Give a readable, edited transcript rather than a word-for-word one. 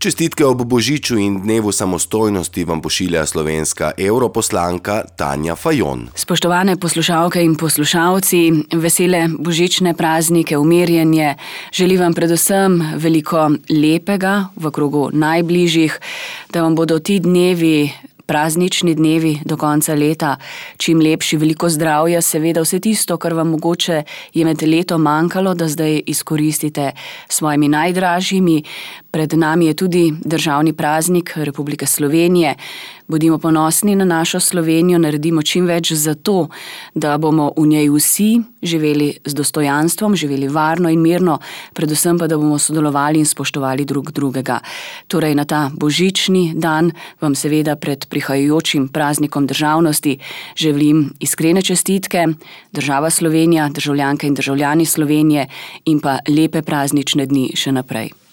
Čestitke ob Božiču in dnevu samostojnosti vam pošilja slovenska europoslanka Tanja Fajon. Spoštovane poslušalke in poslušalci, vesele božične praznike, umirjenje. Želim vam predvsem veliko lepega v krogu najbližjih, da vam bodo ti dnevi, praznični dnevi do konca leta čim lepši, veliko zdravja, seveda vse tisto, kar vam mogoče je med letom manjkalo, da zdaj izkoristite s svojimi najdražjimi. Pred nami je tudi državni praznik Republike Slovenije. Bodimo ponosni na našo Slovenijo, naredimo čim več za to, da bomo v njej vsi živeli z dostojanstvom, živeli varno in mirno, predvsem pa, da bomo sodelovali in spoštovali drug drugega. Torej na ta božični dan vam seveda pred prihajajočim praznikom državnosti želim iskrene čestitke, država Slovenija, državljanke in državljani Slovenije in pa lepe praznične dni še naprej.